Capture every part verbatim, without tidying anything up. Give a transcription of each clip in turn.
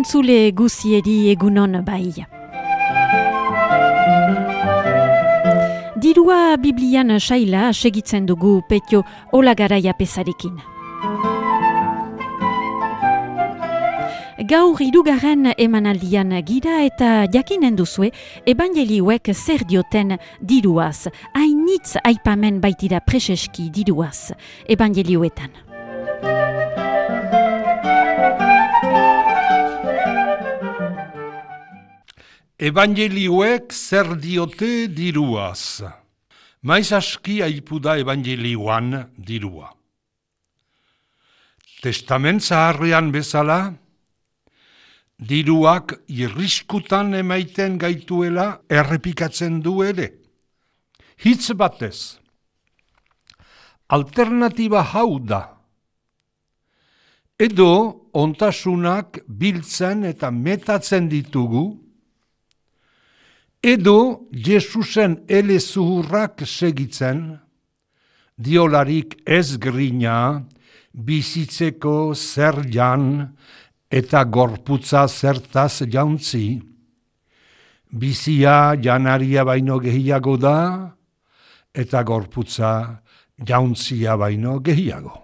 Entzule guziedi egunon bai. Dirua Biblian saila segitzen dugu Petio Olagaraia pesarekin. Gaur hirugarren emanaldian gira eta jakinen duzue ebangelioek zer dioten diruaz. Hainitz aipamen baitira preseski diruaz ebangelioetan. Evangelioek zer diote diruaz. Maiz aski aipu da evangelioan dirua. Testament zaharrean bezala, diruak irriskutan emaiten gaituela errepikatzen du ere. Hitz batez, alternatiba hau da. Edo ontasunak biltzen eta metatzen ditugu, edo Jesusen ele zuhurrak segitzen, diolarik ez grina, bizitzeko zer jan, eta gorputza zertaz jauntzi, bizia janaria baino gehiago da, eta gorputza jauntzia baino gehiago.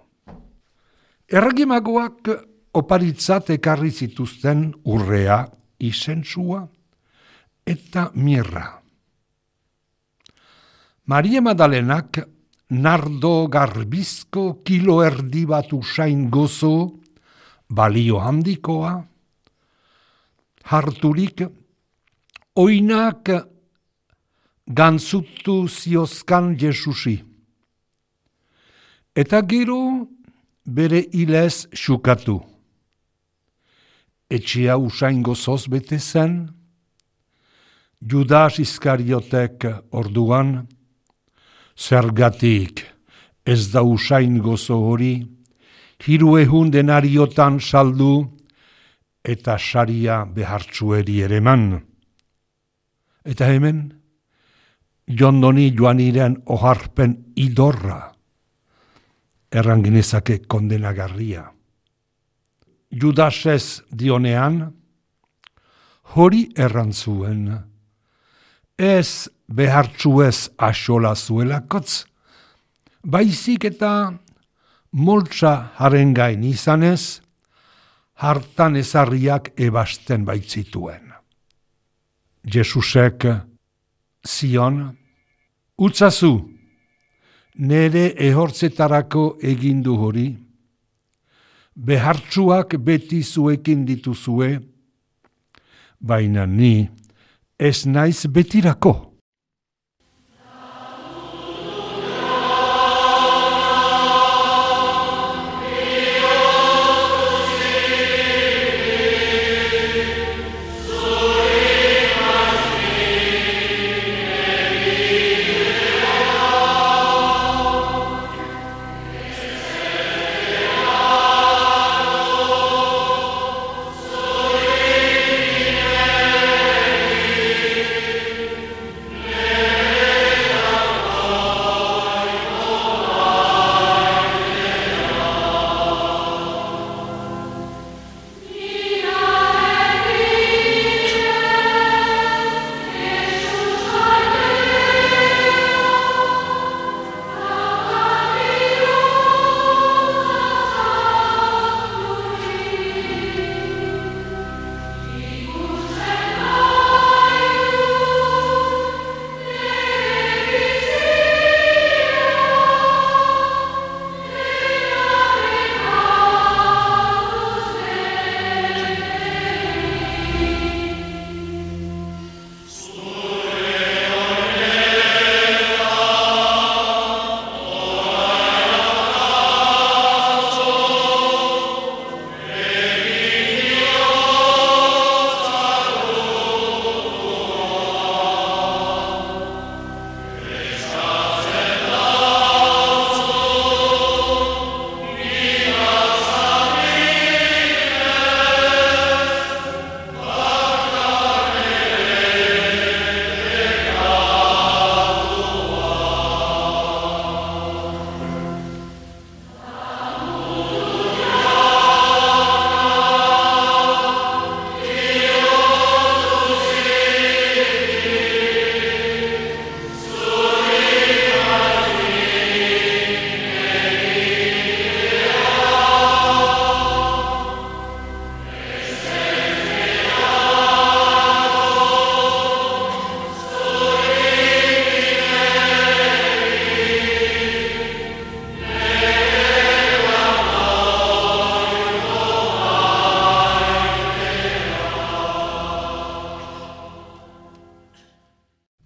Erregimagoak oparitzat ekarri zituzten urrea, izentsua, eta mirra. Maria Madalenak nardo garbizko kilo erdi bat usain gozo, balio handikoa, harturik, oinak gantzutu ziozkan Jesusi. Eta gero bere hilez xukatu. Etxea usain gozoz bete zen, Judas Iskariotek orduan, zergatik ez da usain gozo hori, hiru ehun denariotan saldu eta saria behartzueri ereman. Eta hemen, jondoni joaniren oharpen idorra, erranginezake kondenagarria. Judasez dionean, hori errantzuen, ez behartzuez axola zuelakotz, baizik eta moltsa haren gain izanez, hartan ezarriak ebasten baitzituen. Jesusek zion, utzazu, nere ehortzetarako egindu hori, behartzuak beti zuekin dituzue, baina ni ez naiz betirako.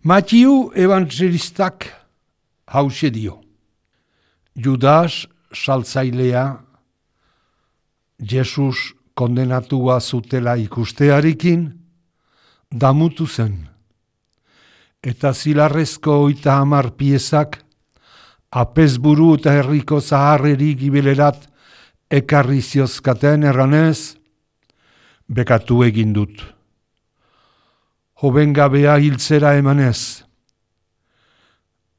Matiu evangelistak hause dio. Judas saltzailea Jesus kondenatua zutela ikustearekin damutu zen. Eta zilarrezko oita hamar piezak apezburu eta herriko zaharreri gibelerat ekarri ziozkaten erranez, bekatu egin dut. Hobengabea hiltzera emanez.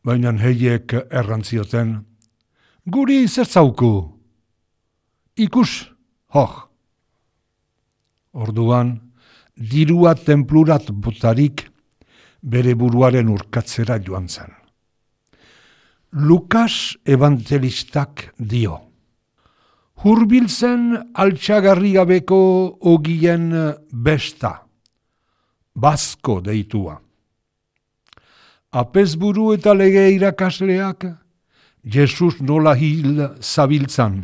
Baina heiek errantzioten, guri zertzauku. Ikus, hoh. Orduan, dirua tenplurat botarik bere buruaren urkatzera joan zen. Lukas evangelistak dio. Hurbiltzen altxagarri gabeko ogien besta, bazko deitua. Apezburu eta lege irakasleak Jesus nola hil zabiltzan.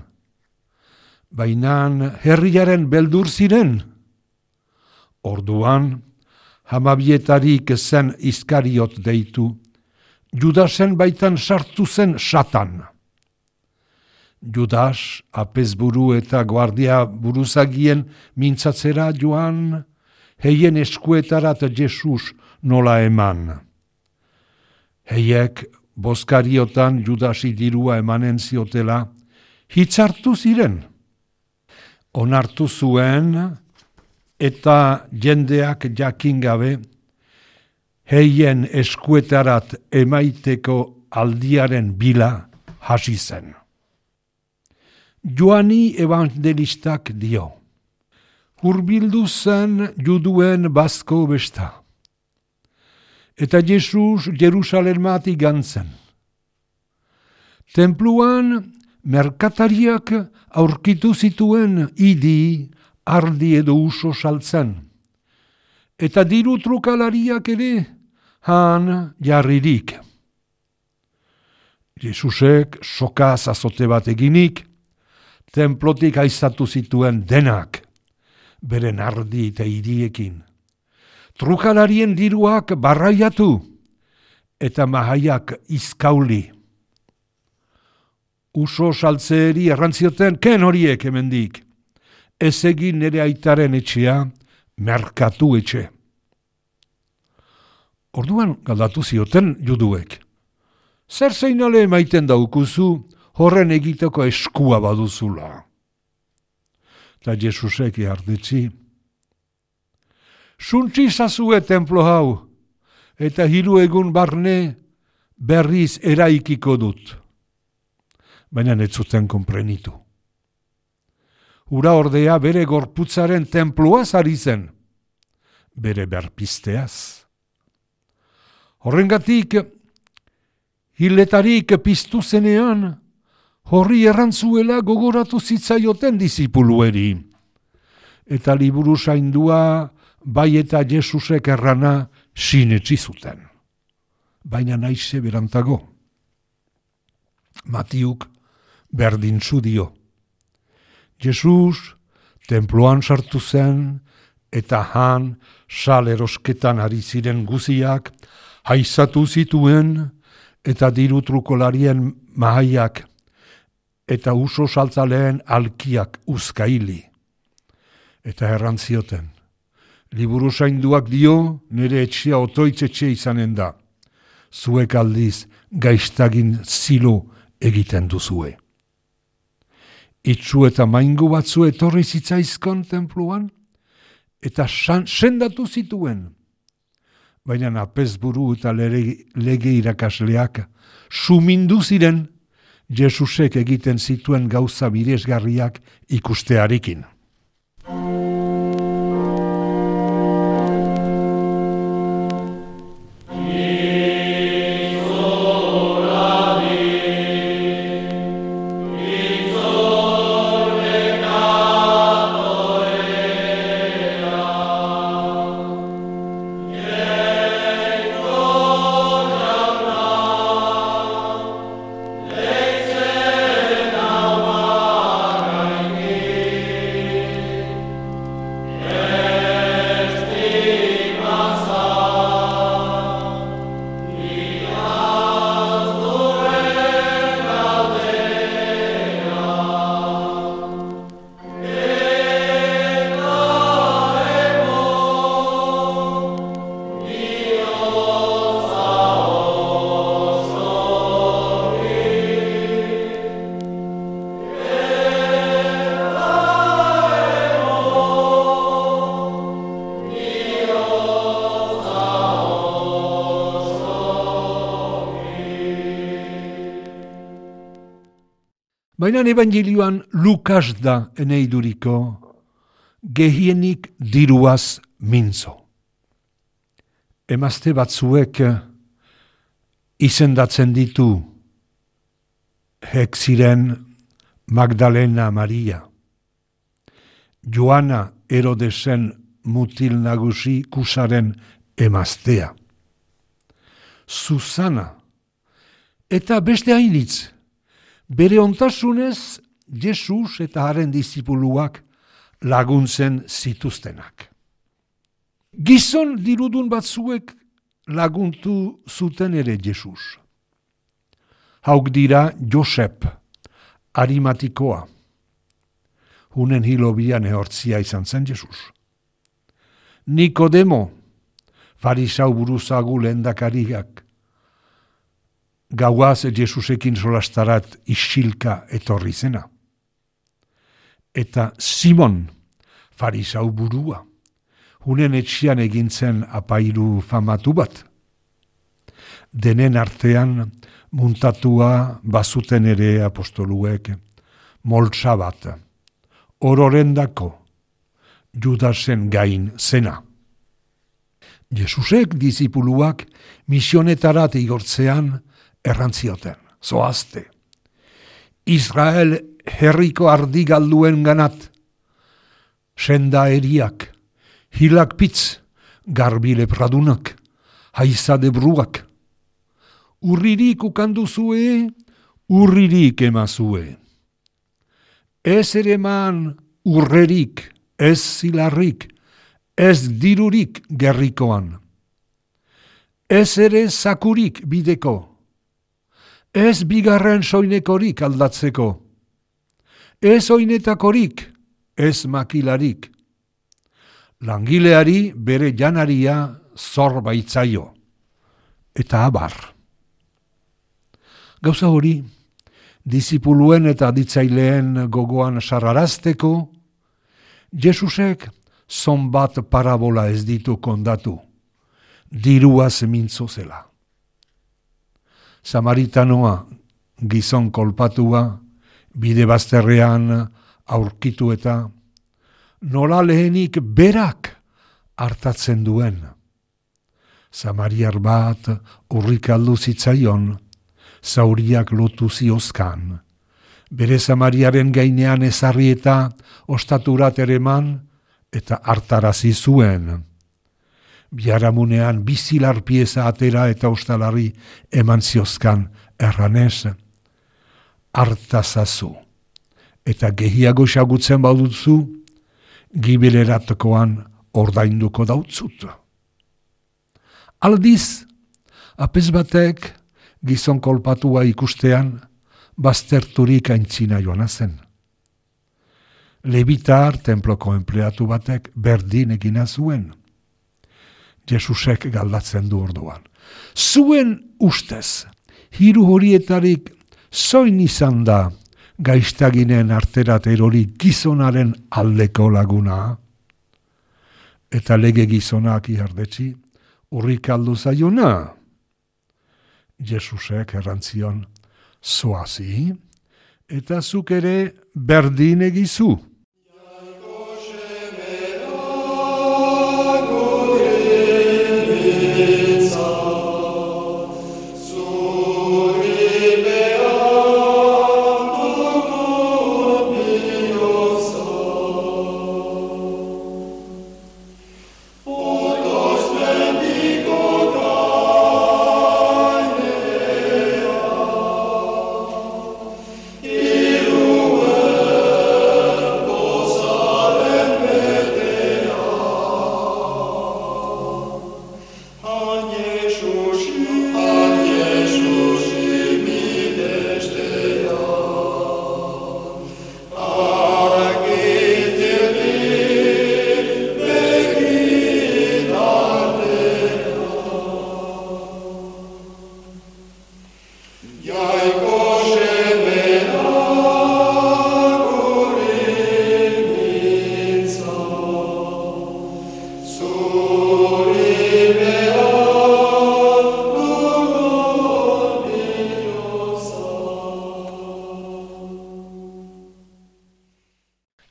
Bainan herriaren beldur ziren. Orduan, hamabietarik zen Iskariot deitu, Judasen baitan sartu zen Satan. Judas, apezburu eta guardia buruzagien mintzatzera joan, heien eskuetarat Jesus nola eman. Heiek boskariotan Judasi dirua emanen ziotela, hitzartu ziren. Onartu zuen eta jendeak jakin gabe, heien eskuetarat emaiteko aldiaren bila hasi zen. Joani evangelistak dio. Hurbildu zen juduen bazko besta. Eta Jesus Jerusalemat igantzen. Tenpluan merkatariak aurkitu zituen idi, ardi edo uso saltzen. Eta diru trukalariak ere han jarririk. Jesusek sokaz azote bat eginik, tenplotik aizatu zituen denak, beren ardi eta idiekin. Trukalarien diruak barraiatu eta mahaiak izkauli. Uso saltzeeri errantzioten, ken horiek hemendik. Ez egin nire aitaren etxea, merkatu etxe. Orduan galdatu zioten juduek. Zer zeinale emaiten daukuzu, horren egiteko eskua baduzula. Eta Jesusek jardetzi. Suntzi zazue templo hau, eta hiru egun barne berriz eraikiko dut. Baina ez zuten konprenitu. Ura ordea bere gorputzaren tenpluaz ari zen, bere berpisteaz. Horrengatik, hiletarik piztu zenean, horri errantzuela gogoratu zitzaioten disipulueri. Eta liburu zaindua bai eta Jesusek errana sinetsi zuten. Baina naize berantago. Matiuk berdintzu dio. Jesus tenploan sartu zen eta han salerosketan ari ziren guziak haizatu zituen eta diru trukolarien mahaiak eta uso saltzaleen alkiak uzkaili. Eta errantzioten. Liburu zainduak dio, nire etxea otoitzetxe izanen da. Zuek aldiz gaiztagin zilo egiten duzue. Itzu eta maingu batzu etorri zitzaizkon tenpluan, eta san, sendatu zituen. Baina apezburu eta lege, lege irakasleak sumindu ziren Jesusek egiten zituen gauza miresgarriak ikustearekin. Baina evangelioan Lukas da eneiduriko gehienik diruaz mintzo. Emazte batzuek izendatzen ditu hek ziren Magdalena Maria, Joana Herodesen mutil nagusi kusaren emaztea, Susana, eta beste hainitz, bere ontasunez Jesus eta haren disipuluak laguntzen zituztenak. Gizon dirudun batzuek laguntu zuten ere Jesus. Hauk dira Josep, Arimatikoa, hunen hilobian ehortzia izan zen Jesus. Nikodemo, farisau buruzagu lehendakariak, gauaz Jesusekin solastarat isilka etorri zena. Eta Simon, farisau burua, hunen etxian egintzen apairu famatu bat. Denen artean muntatua bazuten ere apostoluek, moltsa bat, ororendako, Judasen gain zena. Jesusek disipuluak misionetarat igortzean errantzioten, zoazte. Israel herriko ardigalduen ganat, senda eriak, hilak pitz, garbile pradunak, haizade bruak. Urririk ukanduzue, urririk emazue. Ez ere man urrerik, ez zilarrik, ez dirurik gerrikoan. Ez ere zakurik bideko, ez bigarren soinekorik aldatzeko, ez oinetakorik, ez makilarik. Langileari bere janaria zor baitzaio, eta abar. Gauza hori, disipuluen eta aditzaileen gogoan sarrarazteko, Jesusek zonbat parabola ez ditu kondatu, diruaz mintzo zela. Samaritanoa, gizon kolpatua, bide bazterrean aurkitu eta nola lehenik berak hartatzen duen. Samariar bat urrikaldu zitzaion, zauriak lotu ziozkan. Bere Samariaren gainean ezarri eta ostaturat ereman eta hartarazi zuen. Biharamunean bizilar pieza atera eta ostalari eman ziozkan erranez. Hartazazu eta gehiago xagutzen baduzu, gibileratokoan ordainduko dautzut. Aldiz, apez batek gizon kolpatua ikustean, bazterturik aintzina joana zen. Lebitar tenploko enpleatu batek berdin egina zuen. Jesusek galdatzen du orduan. Zuen ustez, hiru horietarik zoin izan da gaiztaginen arterat erori gizonaren aldeko laguna? Eta lege gizonak ihardetzi, urrikaldu zaiona. Jesusek errantzion, zoazi, eta zuk ere berdin egizu.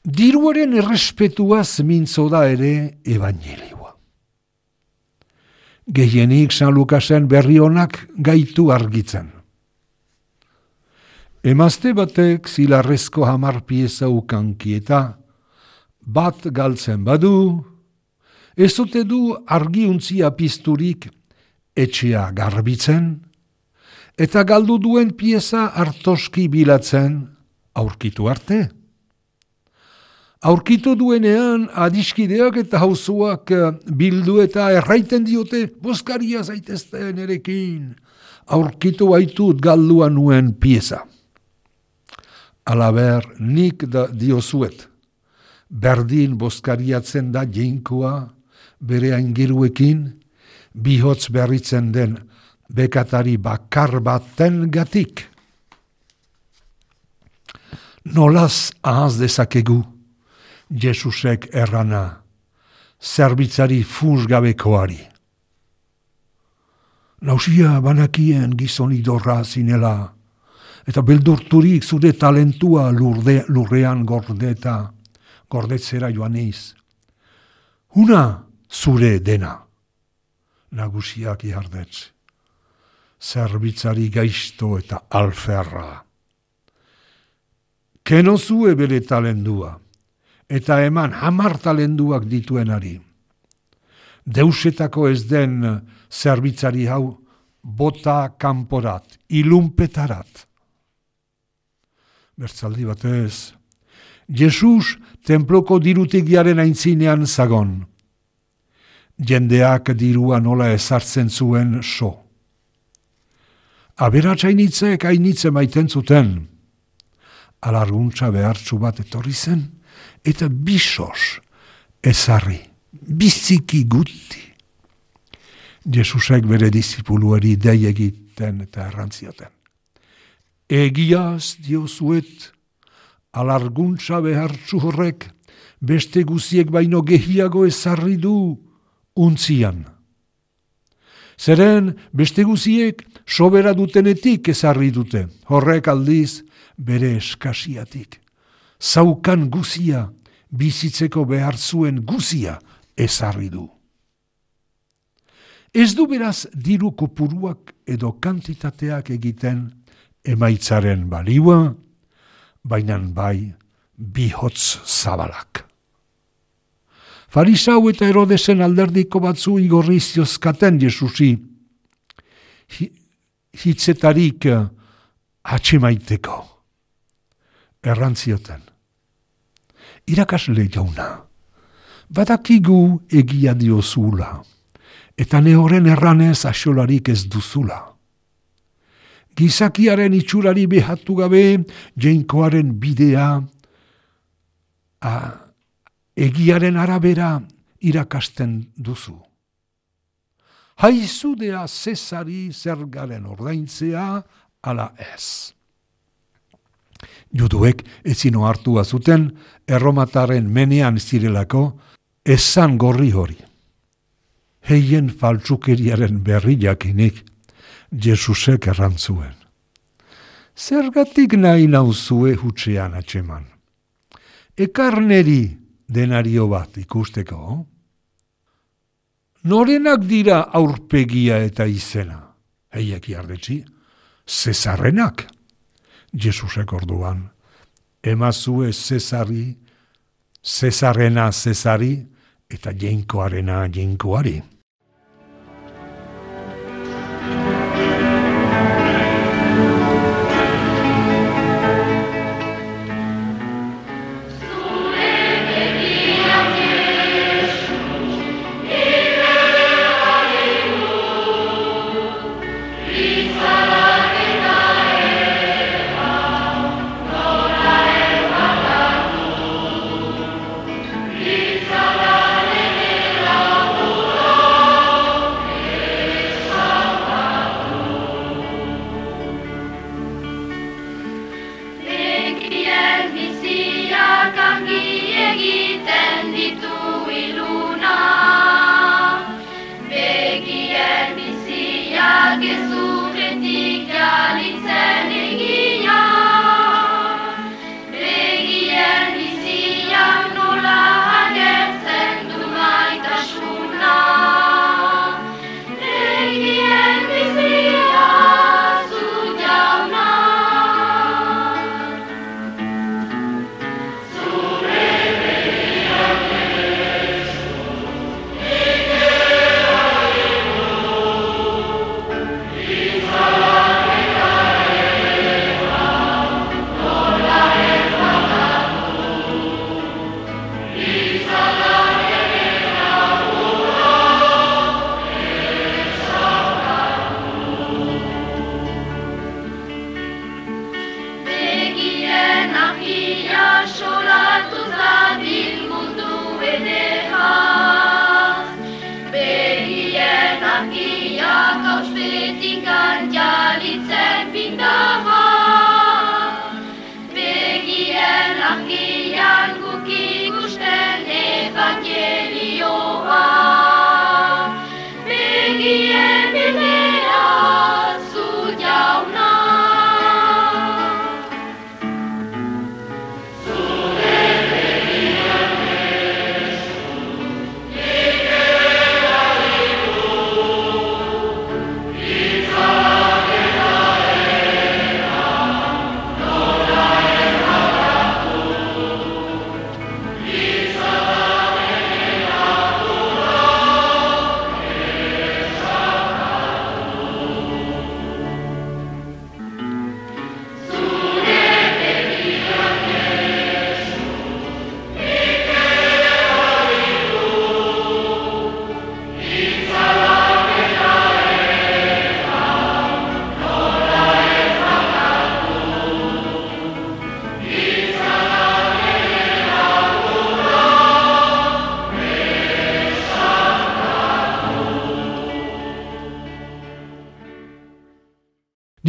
Diruaren errespetuaz mintzo da ere ebanjelioa. Gehienik San Lukasen berri honak gaitu argitzen. Emazte batek zilarrezko hamar pieza ukanki eta bat galtzen badu, ez ote du argiuntzia pizturik etxea garbitzen, eta galdu duen pieza hartoski bilatzen aurkitu arte. Aurkitu duenean adiskideak eta hauzuak bildu eta erraiten diote, boskaria zaitezte nerekin, aurkitu baitut galdua nuen pieza. Alaber, nik da diozuet, berdin boskariatzen da jainkoa bere aingeruekin, bihotz berritzen den bekatari bakar baten gatik. Nolaz ahaz dezakegu, Jesusek errana, zerbitzari funtsgabekoari. Nausia banakien gizon idorra zinela, eta beldurturik zure talentua lurde, lurrean gordeta, gordetzera joan eiz. Huna zure dena, nagusiak ihardetz, zerbitzari gaizto eta alferra. Kenozue bere talentua, eta eman hamar talenduak dituenari. Deusetako ez den zerbitzari hau bota kanporat, ilunpetarat. Bertzaldi batez, Jesus tenploko dirutegiaren aintzinean zagon. Jendeak dirua nola ezartzen zuen so. Aberatsainitzek ainitze maiten zuten. Alarguntza behartzu bat etorri zen, eta bisos ezarri, biziki guti. Jesusek bere disipuluari dei egiten eta errantzioten. Egiaz diozuet, alarguntza behartzu horrek beste guziek baino gehiago ezarri du untzian. Zeren beste guziek sobera dutenetik ezarri dute, horrek aldiz bere eskasiatik. Zaukan guzia, bizitzeko behar zuen guzia ezarri du. Ez du beraz diru kopuruak edo kantitateak egiten emaitzaren baliua, bainan bai bihotz zabalak. Farisau eta Herodesen alderdiko batzu igorri ziozkaten Jesusi, hitzetarik atxemaiteko. Errantzioten. Irakasle jauna, badakigu egia diozula, eta nehoren erranez axolarik ez duzula. Gizakiaren itxurari behatu gabe, jainkoaren bidea, a, egiaren arabera irakasten duzu. Haizudea Zesari zergaren ordaintzea, ala ez. Juduek ezin ohartua zuten erromataren menean zirelako esan gorri hori. Heien faltsukeriaren berri jakinik Jesusek errantzuen. Zergatik nahi nauzue hutsean atxeman. Ekarneri denario bat ikusteko. Norenak dira aurpegia eta izena? Heiek jardetzi, Zesarrenak. Jesusek orduan, emazue Zesari, Zesarrena Zesari, eta jainkoarena jainkoari. Oh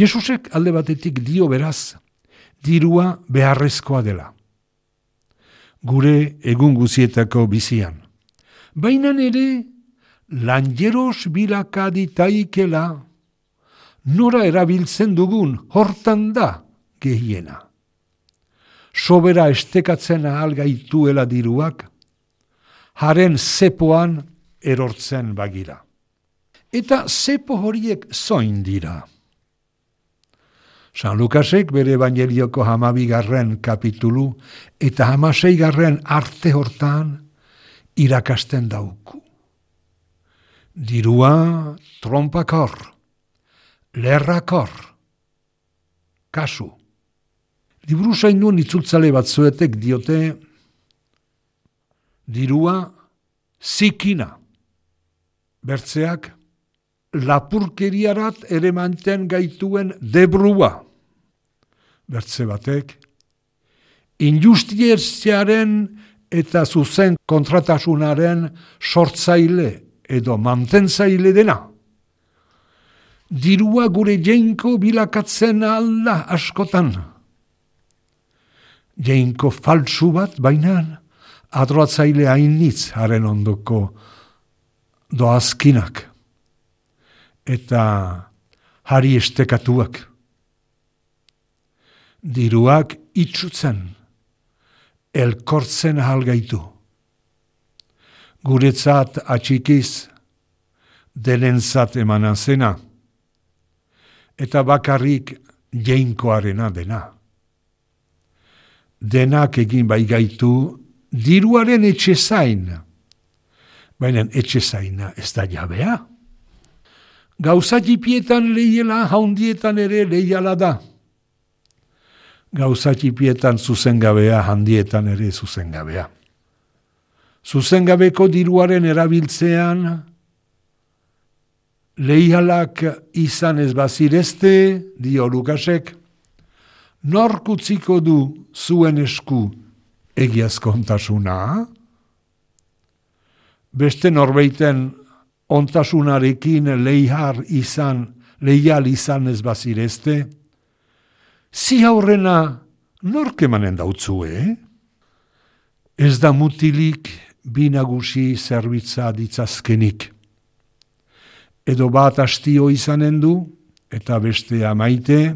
Jesusek alde batetik dio beraz, dirua beharrezkoa dela. Gure egun guzietako bizian. Baina ere, lanjeros bilakaditaikela, nora erabiltzen dugun hortan da gehiena. Sobera estekatzen ahal gaituela diruak, haren zepoan erortzen bagira. Eta zepo horiek zoin dira. San Lukasek bere Evangelioko hamabigarren kapitulu eta hamaseigarren arte hortan irakasten dauku. Dirua trompakor, lerrakor, kasu. Liburu zainun itzultzale batzuetek diote, dirua zikina. Bertzeak, lapurkeriarat ere manten gaituen debrua. Bertze batek, injustiziaren eta zuzen kontratasunaren sortzaile edo mantentzaile dena. Dirua gure jeinko bilakatzen alda askotan. Jeinko faltsu bat bainan, adroatzaile hainitz haren ondoko doazkinak. Eta hari estekatuak. Diruak itxutzen, elkortzen ahalgaitu. Guretzat atxikiz, denentzat emanan zena, eta bakarrik jeinkoarena dena. Denak egin bai gaitu, diruaren etxe zain, baina etxe zaina ez da jabea. Gauza txipietan lehiela, haundietan ere lehiala da. Gauza txipietan zuzengabea, handietan ere zuzengabea. Zuzengabeko diruaren erabiltzean, lehialak izan ez bazirezte, dio Lukasek, nork utziko du zuen esku egiazkontasuna? Beste norbeiten ontasunarekin leihar izan, leial izan ez bazirezte, zi aurrena nork emanen dautzue? Ez da mutilik binagusi zerbitza ditzazkenik. Edo bat astio izanen du, eta bestea maite,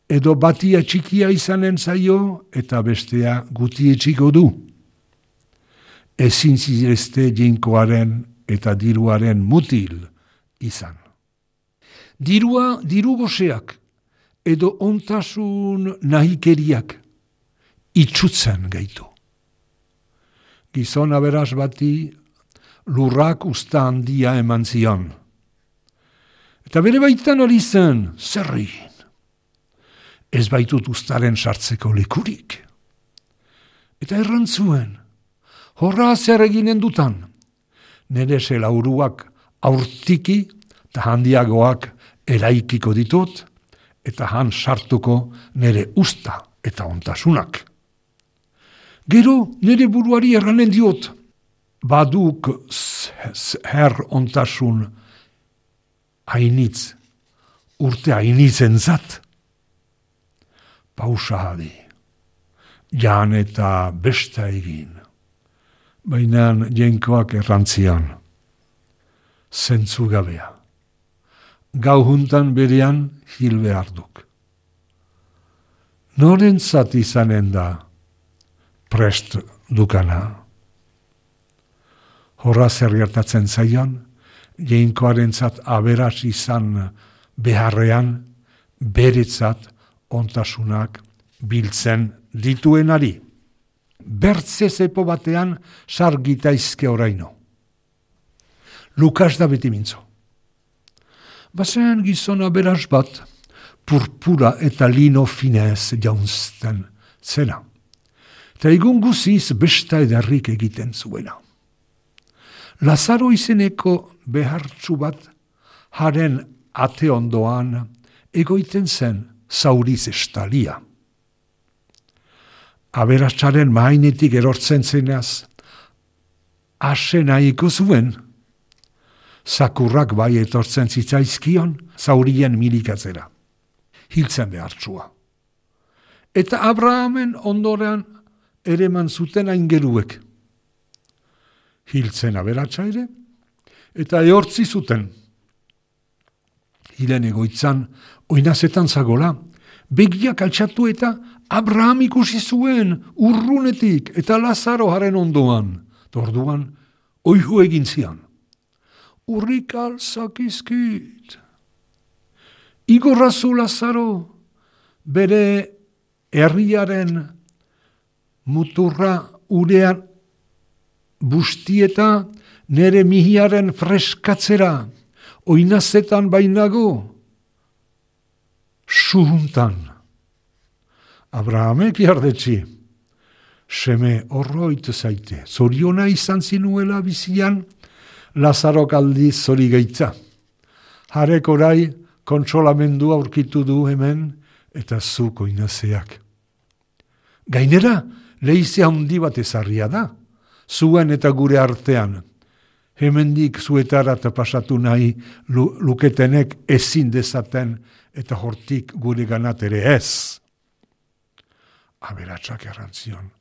edo batia txikia izanen zaio, eta bestea guti etxiko du. Ezin zirezte jeinkoaren eta diruaren mutil izan. Dirua diru goseak, edo ontasun nahikeriak itxutzen gaitu. Gizon aberas bati lurrak usta handia eman zion. Eta bere baitan ari zen, zerrin. Ez baitut ustaren sartzeko lekurik. Eta errantzuen, horra zer eginen dutan, nire selauruak aurtiki eta handiagoak eraikiko ditut, eta han sartuko nire usta eta ontasunak. Gero nire buruari erranen diot, baduk her ontasun hainitz, urte hainitzen zat. Pausa hadi, jan eta besta egin, baina jenkoak errantzian, zentzu gabea. Gau juntan berean hil behar duk. Norentzat izanen da prest dukana? Horra zer gertatzen zaion, jeinkoarentzat aberas izan beharrean, beretzat ontasunak biltzen dituenari. Bertze zepo batean sargitaizke oraino. Lukas da beti mintzo. Bazen gizona beraz bat, purpura eta lino finez jaunzten zena. Eta egun guziz besta edarrik egiten zuena. Lazaro izeneko behartzu bat, haren ate ondoan egoiten zen zauriz estalia. Aberatsaren mainetik erortzen zenaz, ase nahiko zuen, zakurrak bai etortzen zitzaizkion zaurien milikatzera. hiltzen behartsua. Eta Abrahamen ondorean ere eman zuten aingeruek. Hiltzen aberatsa ere, eta ehortzi zuten. Hilen egoitzan, oinazetan zagola, begiak altxatu eta Abraham ikusi zuen urrunetik eta Lazaro haren ondoan. Orduan, oihu egin zian. Urrik alzakizkit. Igorrazu Lazaro, bere herriaren muturra urean bustieta nere mihiaren freskatzera, oinazetan bainago, suhuntan. Abrahamek jardetzi, seme horroit zaite, zoriona izan zinuela bizian, Lazarok aldiz zori gaitza. Harek orai kontsolamendua aurkitu du hemen, eta zuk oinazeak. Gainera, leizea handi bat ezarria da, zuen eta gure artean. Hemendik zuetarat pasatu nahi luketenek ezin dezaten eta hortik gure ganat ere ez. Aberatsak errantzion.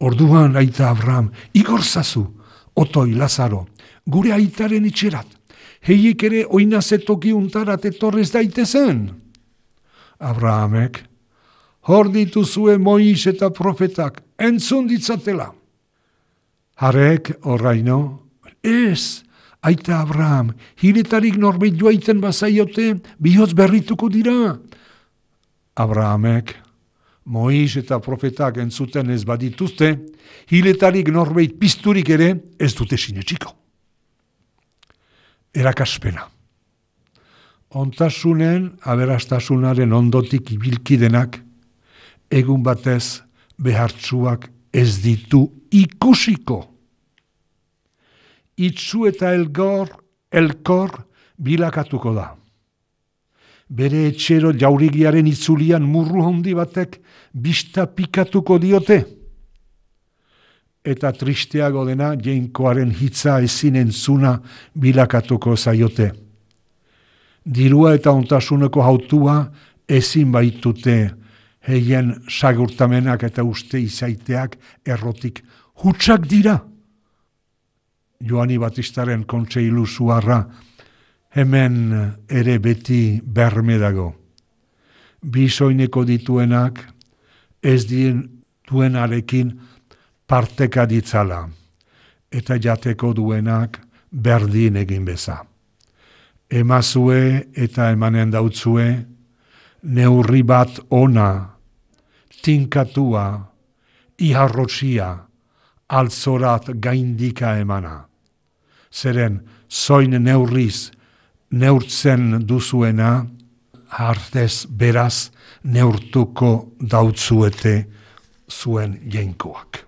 Orduan aita Abraham, igorzazu, otoi Lazaro, gure aitaren itxerat, heiek ere oinazetoki untarat etorrez daitezen. Abrahamek, hor dituzue Mois eta profetak, entzun ditzatela. Harek oraino, ez, aita Abraham, hiletarik norbeit joaiten bazaiote, bihotz berrituko dira. Abrahamek, Mois eta profetak entzuten ez badituzte, hiletarik norbeit pizturik ere ez dute sinetxiko. Erakaspena. Ontasunen, aberastasunaren ondotik ibilkidenak, egun batez behartsuak ez ditu ikusiko. Itzu eta elgor, elkor bilakatuko da. Bere etxero jaurigiaren itzulian murru handi batek bista pikatuko diote. Eta tristeago dena jainkoaren hitza ezin entzuna bilakatuko zaiote. Dirua eta ontasuneko hautua ezin baitute heien sagurtamenak eta uste izaiteak errotik hutsak dira. Joani Batistaren kontseilu zuarra hemen ere beti berme dago. Bisoineko dituenak ez dien duenarekin parteka ditzala, eta jateko duenak berdin egin beza. Emazue eta emanen dautzue, neurri bat ona, tinkatua, iharrotxia, altzorat gaindika emana. Zeren, zoin neurriz, neurtzen duzuena, hartez beraz neurtuko dautzuete zuen jainkoak.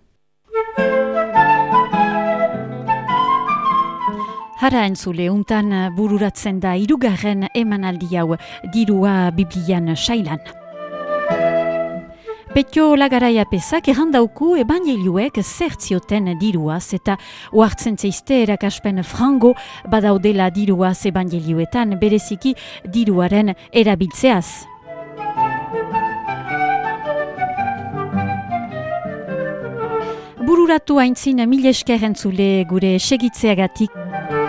Hara entzule, untan bururatzen da hirugarren emanaldi hau dirua Biblian sailan. Petio Lagaraia pesak errandauku ebangelioek zertzioten diruaz eta oartzen zeizte erakaspen frango badaudela diruaz ebangelioetan bereziki diruaren erabiltzeaz. Bururatu haintzin mil esker entzule gure segitzeagatik.